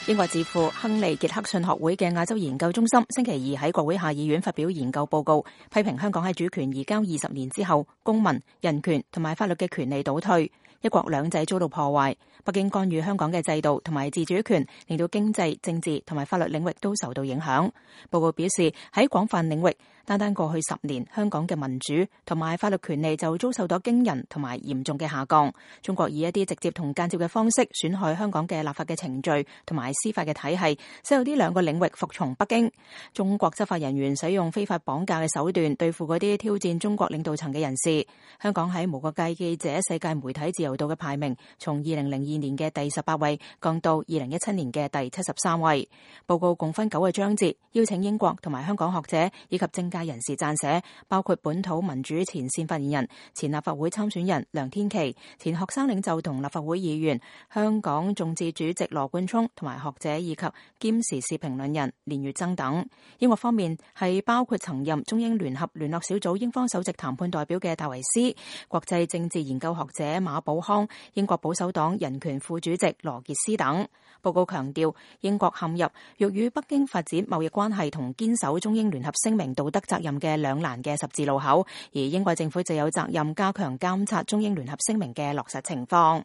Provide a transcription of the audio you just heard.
英國智庫亨利傑克遜學會嘅亞洲研究中心星期二喺國會下議院發表研究報告，批評香港喺主權移交20年之後，公民、人權同埋法律嘅權利倒退，一國兩制遭到破壞，北京干預香港嘅制度同埋自主權，令到經濟、政治同埋法律領域都受到影響。報告表示，喺廣泛領域，單過去10年，香港嘅民主同埋法律權利就遭受到驚人同埋嚴重嘅下降。中國以一啲直接同間接嘅方式損害香港嘅立法嘅程序同埋司法嘅體系，使有呢兩個領域服從北京。中國執法人員使用非法綁架嘅手段對付嗰啲挑戰中國領導層嘅人士。香港喺無國界記者世界媒體自由度嘅排名，從2002年嘅第18位降到2017年嘅第73位。報告共分9個章節，邀請英國同埋香港學者以及政界人士撰寫，包括本土民主前線發言人、前立法會參選人梁天琦、前學生領袖同立法會議員、香港眾志主席羅冠聰同埋學者以及兼時事評論人連月增等。英國方面係包括曾任中英聯合聯絡小組英方首席談判代表嘅戴維斯、國際政治研究學者馬寶康、英國保守黨人權副主席羅傑斯等。報告強調，英國陷入欲與北京發展貿易關係同堅守中英聯合聲明道德責任嘅兩難嘅十字路口，而英國政府就有責任加強監察中英聯合聲明嘅落實情況。